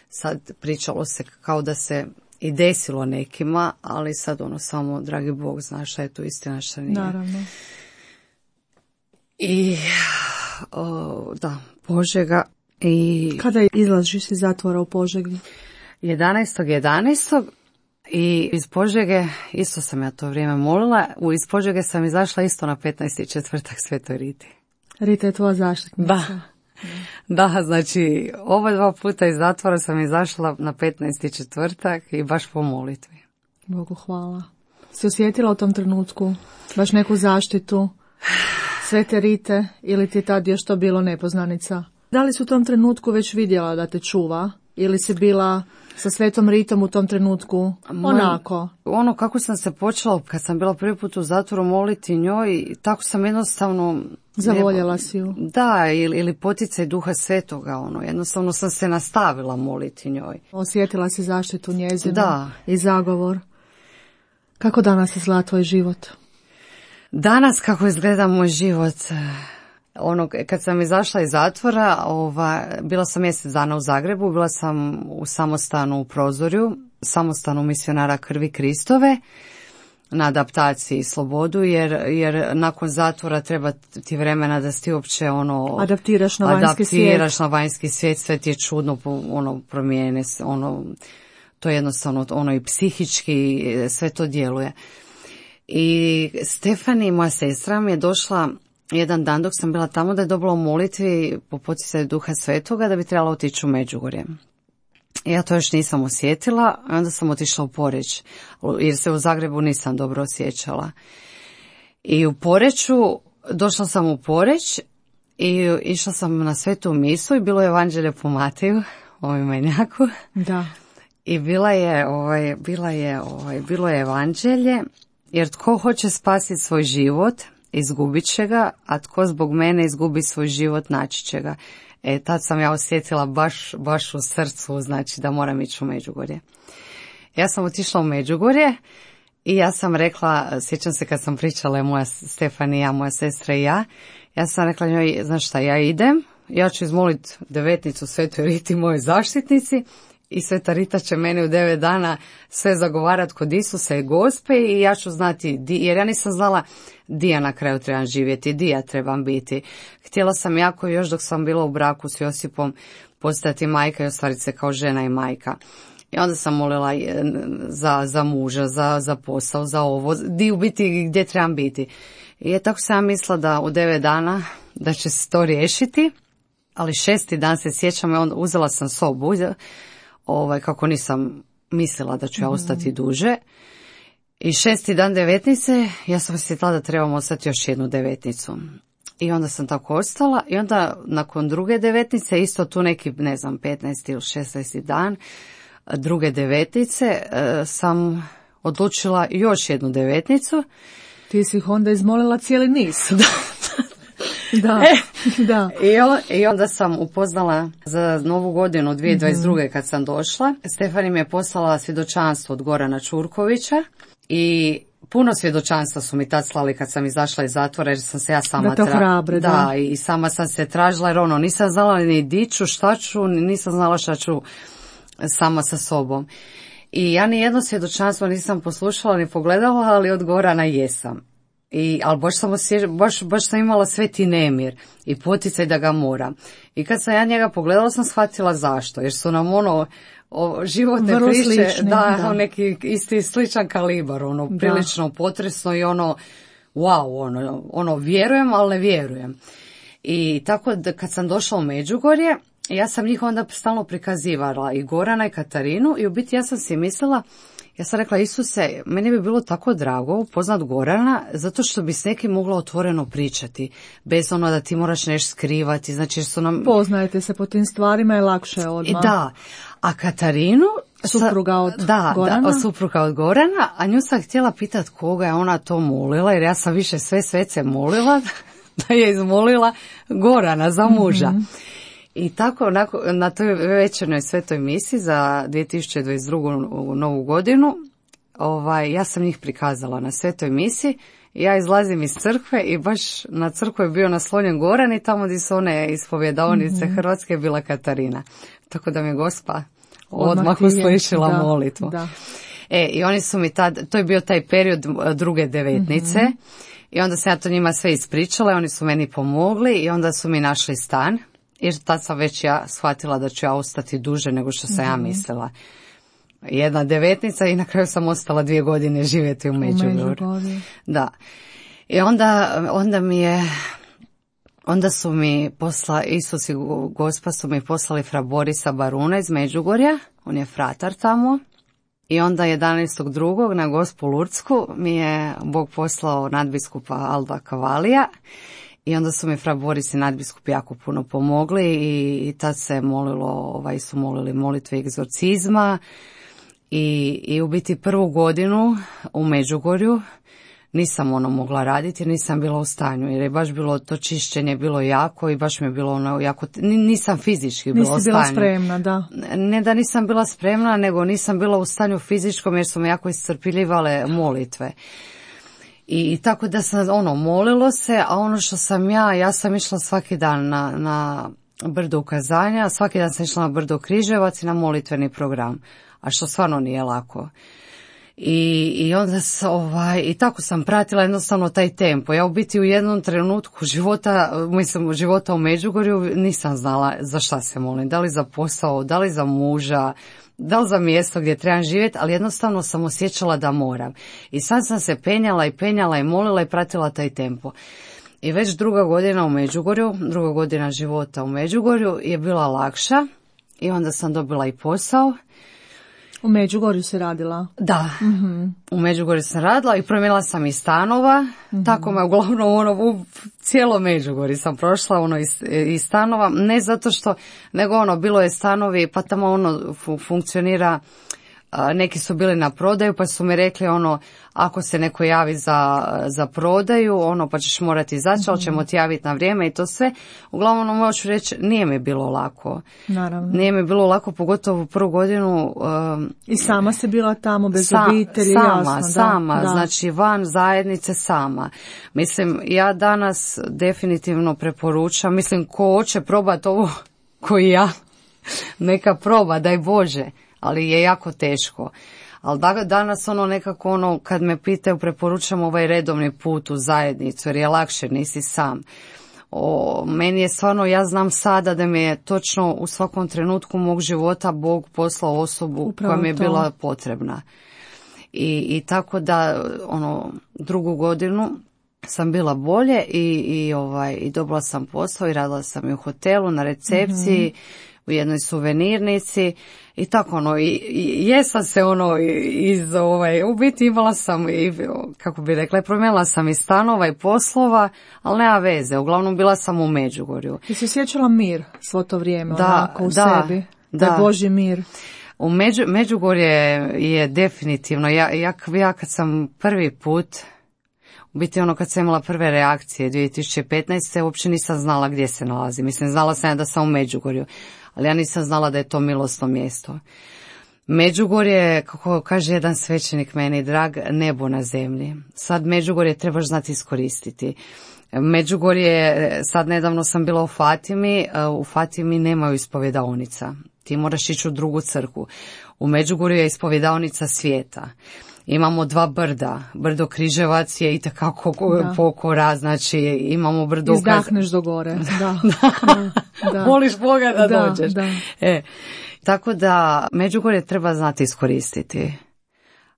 Sad pričalo se kao da se i desilo nekima, ali sad samo dragi Bog zna šta je tu istina, šta nije. Naravno. I Požega i... Kada izlaziš iz zatvora u Požegi? 11.11. I iz Požege, isto sam ja to vrijeme molila, iz Požege sam izašla isto na 15.4. Svetoj Riti. Rita je tvoja zaštitnica. Da, znači oba dva puta iz zatvora sam izašla na 15.4. i baš po molitvi. Bogu hvala. Si osjetila u tom trenutku baš neku zaštitu Svete Rite ili ti je tad još to bilo nepoznanica? Da li si u tom trenutku već vidjela da te čuva ili si bila sa Svetom Ritom u tom trenutku onako? Kako sam se počela, kad sam bila prvi put u zatvoru moliti njoj, tako sam jednostavno... Zavoljela si ju. Da, ili poticaj Duha Svetoga, jednostavno sam se nastavila moliti njoj. Osjetila si zaštitu njezinu. Da. I zagovor. Kako danas izgleda tvoj život? Danas kako izgleda moj život... kad sam izašla iz zatvora, bila sam mjesec dana u Zagrebu, bila sam u samostanu u Prozorju, samostanu misionara Krvi Kristove, na adaptaciji i slobodu, jer nakon zatvora treba ti vremena da ti uopće adaptiraš na vanjski svijet, sve ti je čudno, promijene, to je jednostavno, i psihički, sve to djeluje. I Stefani, moja sestra, mi je došla jedan dan dok sam bila tamo da je dobila u molitvi po poticaju Duha Svetoga da bi trebala otići u Međugorje. Ja to još nisam osjetila, a onda sam otišla u Poreč, jer se u Zagrebu nisam dobro osjećala. I u Poreču, došla sam u Poreć i išla sam na svetu misu i bilo je evanđelje po Mateju, Majnjaku. Da. I bilo je evanđelje, jer tko hoće spasiti svoj život, izgubit će ga, a tko zbog mene izgubi svoj život, naći će ga. Tad sam ja osjetila baš u srcu, znači da moram ići u Međugorje. Ja sam otišla u Međugorje i ja sam rekla, sjećam se kad sam pričala moja Stefanija, moja sestra i ja sam rekla njoj, znaš šta, ja idem, ja ću izmoliti devetnicu Svetoj Riti, mojoj zaštitnici, i Sveta Rita će meni u 9 dana sve zagovarat kod Isusa i Gospe i ja ću znati, jer ja nisam znala di ja na kraju trebam živjeti, di ja trebam biti. Htjela sam jako još dok sam bila u braku s Josipom postati majka i ostvariti se kao žena i majka. I onda sam molila za muža, za posao, za ovo, di u biti gdje trebam biti. I tako sam mislila da u 9 dana da će se to riješiti, ali 6. dan se sjećam i onda uzela sam sobu, kako nisam mislila da ću ja ostati duže. I 6. dan devetnice, ja sam osjetila da trebam ostati još jednu devetnicu. I onda sam tako ostala i onda nakon druge devetnice, isto tu neki, 15. ili 16. dan, druge devetnice, sam odlučila još jednu devetnicu. Ti si ih onda izmolila cijeli niz. Da. Da. I onda sam upoznala za Novu godinu 2022. kad sam došla. Stefani mi je poslala svjedočanstvo od Gorana Čurkovića i puno svjedočanstva su mi tad slali kad sam izašla iz zatvora, jer sam se ja sama da te hrabre, da, i sama sam se tražila, jer nisam znala ni di ću, šta ću, nisam znala šta ću sama sa sobom. I ja ni jedno svjedočanstvo nisam poslušala ni pogledala, ali od Gorana jesam. Ali baš sam imala sveti nemir i poticaj da ga moram. I kad sam ja njega pogledala, sam shvatila zašto. Jer su nam životne vrlo priče, slični, da, neki isti sličan kalibar, prilično potresno i wow, vjerujem, ali ne vjerujem. I tako da kad sam došla u Međugorje, ja sam njih onda stalno prikazivala i Gorana i Katarinu i u biti ja sam si mislila, ja sam rekla, Isuse, meni bi bilo tako drago upoznat Gorana, zato što bi s nekim mogla otvoreno pričati, bez da ti moraš nešto skrivati, znači jer su nam... Poznajete se po tim stvarima, je lakše odmah. Da, a Katarinu... Supruga od Gorana? Da, supruga od Gorana, a nju sam htjela pitati koga je ona to molila, jer ja sam više sve svece molila, da je izmolila Gorana za muža. Mm-hmm. I tako na toj večernoj svetoj misi za 2022. novu godinu, ja sam njih prikazala na svetoj misi. Ja izlazim iz crkve i baš na crkvu je bio naslonjen Goran i tamo gdje su one ispovjedaonice Hrvatske bila Katarina. Tako da mi Gospa odmah uslišila molitvu. Da. I oni su mi to je bio taj period druge devetnice i onda sam ja to njima sve ispričala i oni su meni pomogli i onda su mi našli stan. Jer tad sam već ja shvatila da ću ja ostati duže nego što sam ja mislila. Jedna devetnica i na kraju sam ostala 2 godine živjeti u Međugorju. Da. I onda su mi Isus i Gospa su mi poslali fra Borisa Baruna iz Međugorja, on je fratar tamo. I onda 11.2. na Gospu Lurdsku mi je Bog poslao nadbiskupa Alda Kavalija. I onda su mi fra Boris i nadbiskup jako puno pomogli i tad se su molili molitve egzorcizma i u biti prvu godinu u Međugorju nisam mogla raditi jer nisam bila u stanju jer je baš bilo to čišćenje bilo jako i baš mi je bilo jako, nisam fizički bila u stanju. Nisi bila spremna, da. Ne da nisam bila spremna, nego nisam bila u stanju fizičkom jer su me jako iscrpljivale molitve. I tako da sam molilo se, a ono što sam ja sam išla svaki dan na brdo ukazanja, svaki dan sam išla na brdo Križevac i na molitveni program, a što stvarno nije lako. I onda i tako sam pratila jednostavno taj tempo. Ja u biti u jednom trenutku života u Međugorju nisam znala za šta se molim, da li za posao, da li za muža, da li za mjesto gdje trebam živjeti, ali jednostavno sam osjećala da moram. I sad sam se penjala i molila i pratila taj tempo. I već druga godina života u Međugorju je bila lakša i onda sam dobila i posao. U Međugorju se radila? Da, u Međugorju sam radila i promijenila sam i stanova, tako me uglavnom u cijelo Međugorje sam prošla iz stanova, ne zato što, nego bilo je stanovi pa tamo funkcionira, neki su bili na prodaju pa su mi rekli ako se neko javi za prodaju, pa ćeš morati izaći, ali ćemo ti javiti na vrijeme i to sve. Uglavnom možu reći, nije mi bilo lako. Naravno. Nije mi bilo lako, pogotovo u prvu godinu. I sama si bila tamo bez obitelji, Sama, znači van zajednice sama. Mislim, ja danas definitivno preporučam, ko hoće probati ovo koji ja, neka proba, daj Bože, ali je jako teško. Ali danas nekako kad me pitaju preporučam ovaj redovni put u zajednicu jer je lakše, nisi sam. Meni je stvarno, ja znam sada da mi je točno u svakom trenutku mog života Bog poslao osobu koja mi je bila potrebna. I tako da drugu godinu sam bila bolje i dobila sam posao i radila sam i u hotelu na recepciji, u jednoj suvenirnici i tako jesam se u biti imala sam kako bi rekla, promijenila sam i stanova i poslova, ali nema veze, uglavnom bila sam u Međugorju. I si osjećala mir svo to vrijeme, onako u sebi, da je Božji mir. U Međugorje je definitivno, ja kad sam prvi put, u biti kad sam imala prve reakcije 2015. uopće nisam znala gdje se nalazi. Mislim, znala sam da sam u Međugorju, ali ja nisam znala da je to milosno mjesto. Međugorje, kako kaže jedan svećenik meni drag, nebo na zemlji. Sad Međugorje trebaš znati iskoristiti. Međugorje, sad nedavno sam bila u Fatimi nemaju ispovjedaonica. Ti moraš ići u drugu crkvu. U Međugorju je ispovjedaonica svijeta. Imamo 2 brda. Brdo Križevac je itekako pokora, znači imamo brdo... Izdahneš do gore. Da. Moliš Boga da dođeš. Da. Tako da Međugorje treba znati iskoristiti.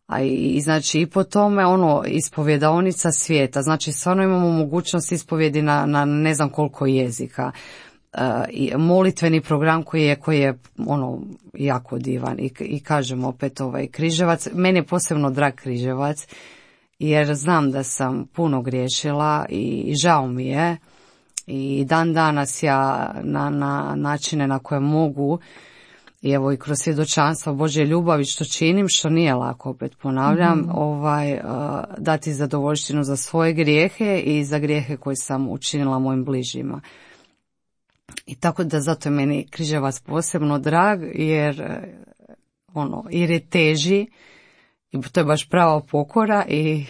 A znači i po tome ispovjedaonica svijeta. Znači stvarno imamo mogućnost ispovjedi na ne znam koliko jezika. Molitveni program koji je jako divan i kažem opet Križevac, meni je posebno drag Križevac jer znam da sam puno griješila i žao mi je i dan danas ja na načine na koje mogu i evo i kroz svjedočanstvo Božje ljubavi što činim, što nije lako, opet ponavljam, dati zadovoljštinu za svoje grijehe i za grijehe koje sam učinila mojim bližnjima. I tako da zato je meni Križevac posebno drag, jer je teži i to je baš prava pokora i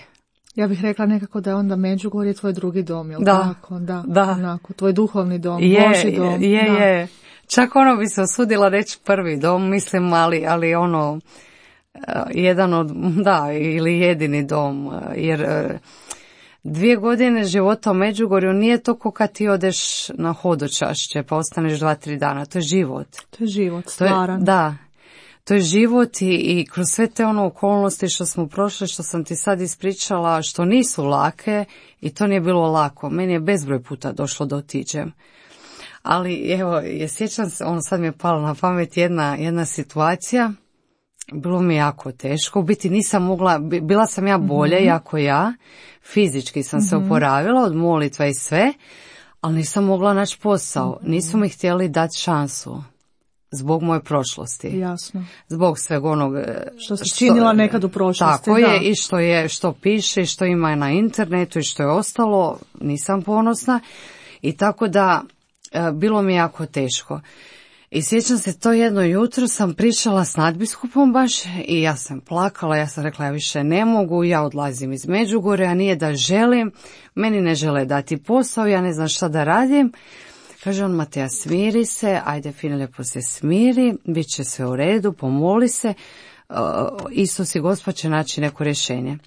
Ja bih rekla nekako da je onda Međugorje tvoj drugi dom, jel Da, tako? Da, da. onako, tvoj duhovni dom, je, Božji dom. Da. je. Čak bi se osudila reći prvi dom, mislim, ali jedan od, da, ili jedini dom, jer 2 godine života u Međugorju nije to ko kad ti odeš na hodočašće pa ostaneš 2-3 dana, to je život. To je život, stvaran. Da, to je život i kroz sve te okolnosti što smo prošli, što sam ti sad ispričala, što nisu lake i to nije bilo lako. Meni je bezbroj puta došlo da otiđem. Ali evo, sjećam se, sad mi je palo na pamet jedna situacija, bilo mi jako teško, u biti nisam mogla, bila sam ja bolje, jako ja, fizički sam se oporavila od molitva i sve, ali nisam mogla naći posao, nisu mi htjeli dati šansu. Zbog moje prošlosti. Jasno. Zbog sveg onog što si činila nekad u prošlosti. Tako je, i što piše, i što ima na internetu i što je ostalo, nisam ponosna. I tako da bilo mi jako teško. I sjećam se, to jedno jutro sam pričala s nadbiskupom baš i ja sam plakala, ja sam rekla ja više ne mogu, ja odlazim iz Međugorja, nije da želim, meni ne žele dati posao, ja ne znam šta da radim. Kaže on, Mateja, smiri se, ajde fino lijepo se smiri, bit će sve u redu, pomoli se, Isus i Gospod će naći neko rješenje.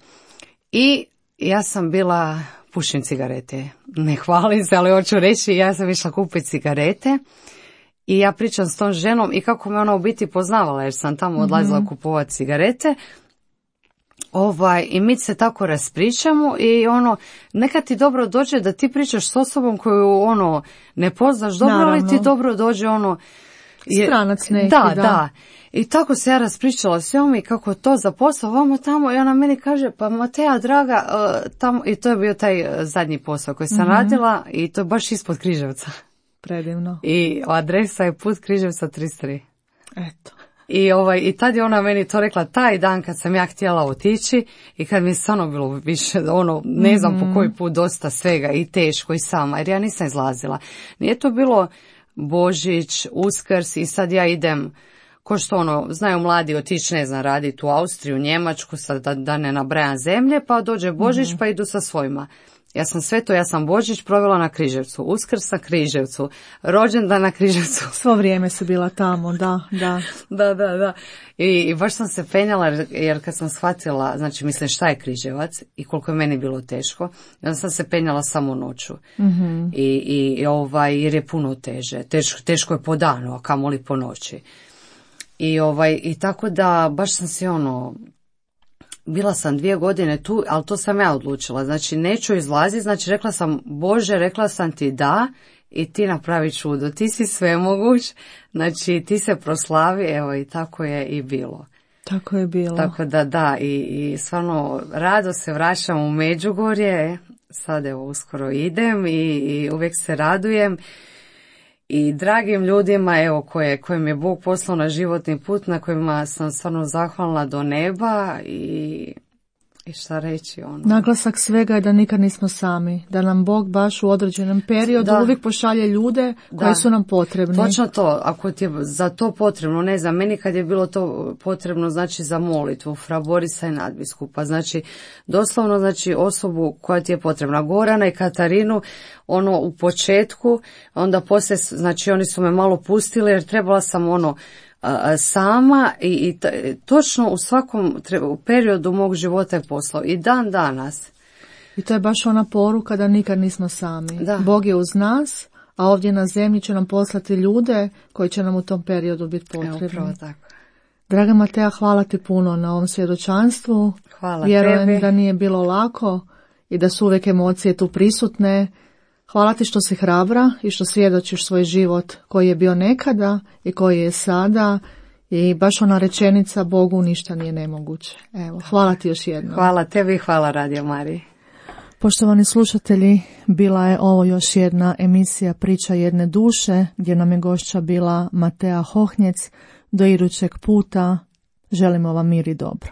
I ja sam bila, pušim cigarete, ne hvalim se, ali hoću reći, ja sam išla kupiti cigarete i ja pričam s tom ženom i kako me ona u biti poznavala, jer sam tamo odlazila kupovati cigarete. I mi se tako raspričamo i nekad ti dobro dođe da ti pričaš s osobom koju ne poznaš dobro, ali ti dobro dođe stranac neki, da. I tako se ja raspričala s njom i kako to za posao, vamo tamo, i ona meni kaže, pa Mateja, draga, tamo, i to je bio taj zadnji posao koji sam radila i to je baš ispod Križevca. Predivno. I adresa je Put Križevca 33. Eto. I tad je ona meni to rekla taj dan kad sam ja htjela otići i kad mi je stvarno bilo više, ne znam po koji put, dosta svega i teško i sama, jer ja nisam izlazila. Nije to bilo Božić, Uskrs i sad ja idem, ko što znaju mladi otići, ne znam, raditi u Austriju, Njemačku, sad da ne nabrajam zemlje, pa dođe Božić pa idu sa svojima. Ja sam sve to, ja sam Božić provela na Križevcu, Uskrs na Križevcu, rođendan na Križevcu. Svo vrijeme si bila tamo, da. Da. I baš sam se penjala, jer kad sam shvatila, znači mislim šta je Križevac i koliko je meni bilo teško, onda sam se penjala samo noću. Jer je puno teže. Teško je po danu, a kamoli po noći. I tako da baš sam se bila sam 2 godine tu, ali to sam ja odlučila. Znači, neću izlaziti, znači rekla sam, Bože, rekla sam ti da i ti napravi čudo. Ti si svemoguć, znači ti se proslavi, evo i tako je i bilo. Tako je bilo. Tako da, i stvarno rado se vraćam u Međugorje, sad evo uskoro idem i uvijek se radujem. I dragim ljudima, evo, kojim je Bog poslao na životni put, na kojima sam stvarno zahvalna do neba i šta reći Naglasak svega je da nikad nismo sami, da nam Bog baš u određenom periodu uvijek pošalje ljude koji su nam potrebni. Točno to, ako ti je za to potrebno, ne znam, meni kad je bilo to potrebno, znači za molitvu, fra Borisa i nadbiskupa, znači doslovno, znači osobu koja ti je potrebna, Gorana i Katarinu, u početku, onda poslije, znači oni su me malo pustili jer trebala sam sama i točno u svakom periodu mog života je poslao i dan danas. I to je baš ona poruka da nikad nismo sami. Da. Bog je uz nas, a ovdje na zemlji će nam poslati ljude koji će nam u tom periodu biti potrebni. Upravo tako. Draga Mateja, hvala ti puno na ovom svjedočanstvu. Hvala Vjerujem tebi. da nije bilo lako i da su uvijek emocije tu prisutne. Hvala ti što si hrabra i što svjedočiš svoj život koji je bio nekada i koji je sada i baš ona rečenica Bogu ništa nije nemoguće. Evo, hvala ti još jednom. Hvala tebi i hvala Radio Mariji. Poštovani slušatelji, bila je ovo još jedna emisija Priča jedne duše gdje nam je gošća bila Mateja Hohnjec. Do idućeg puta želimo vam mir i dobro.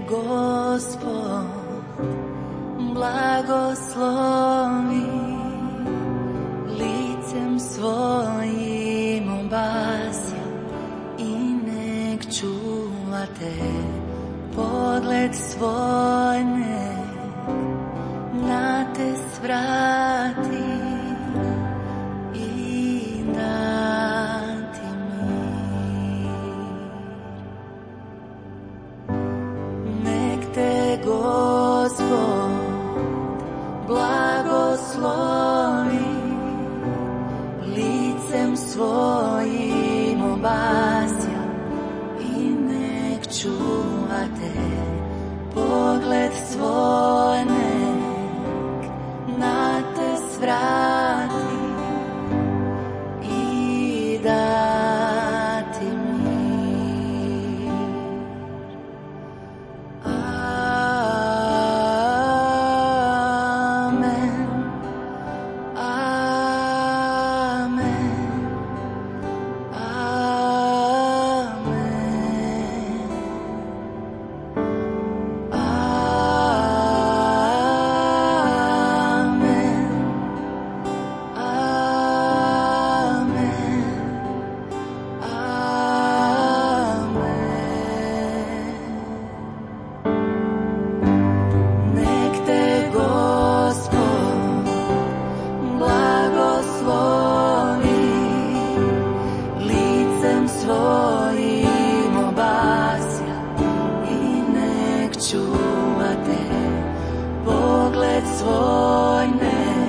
Gospod blagoslovi, licem svojim obasja i nek čuva te, pogled svoj nek na te svrati i dati mir. Nek te Gospod blagoslovi, licem svojim obasja i nek čuva te, pogled svoj nek na te svrati i dati mir. Amen, amen, svoj nek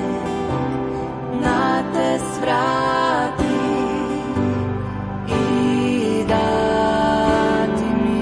na te svrati i dati mir.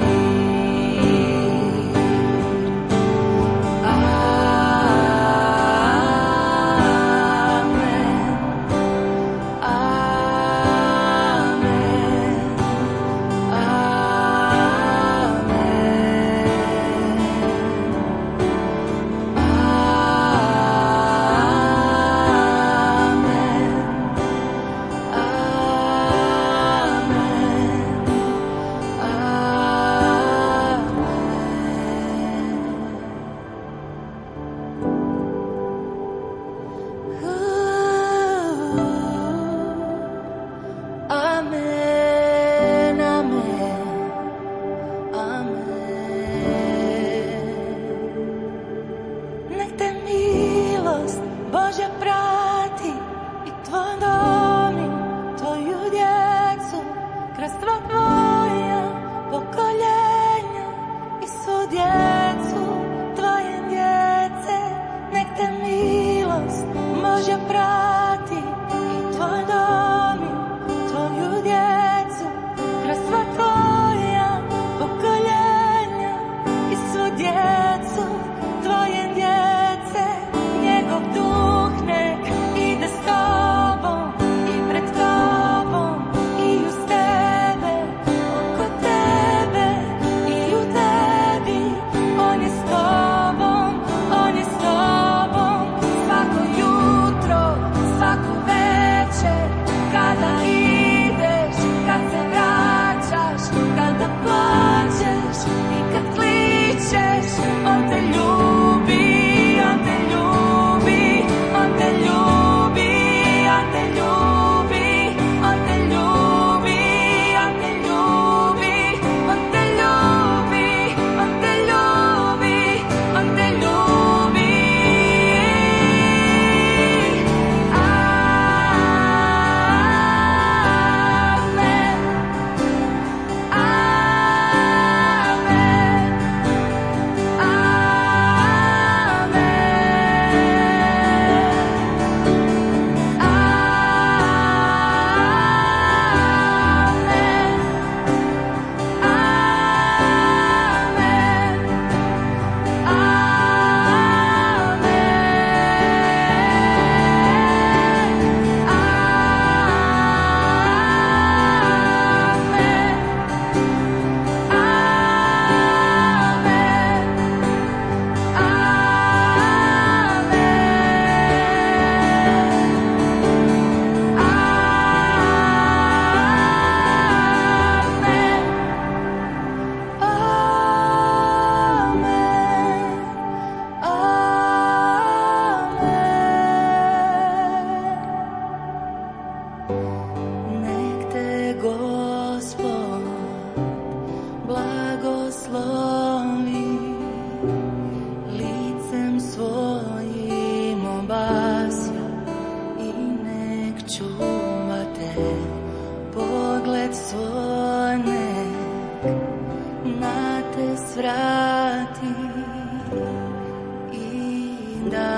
Amen, amen, Božja prati i tvoj dom i tvoju djecu, kroz sva tvoja pokoljenja i svu djecu tvoje djece. Nek te milost Božja prati i tvoj dom i tvoju djecu, kroz sva tvoja pokoljenja i svu djecu tvoje djece. Njegov duh nek ide s tobom i pred tobom i uz tebe, oko tebe i u tebi. On je s tobom, on je s tobom svako jutro svoj nek na te svrati i da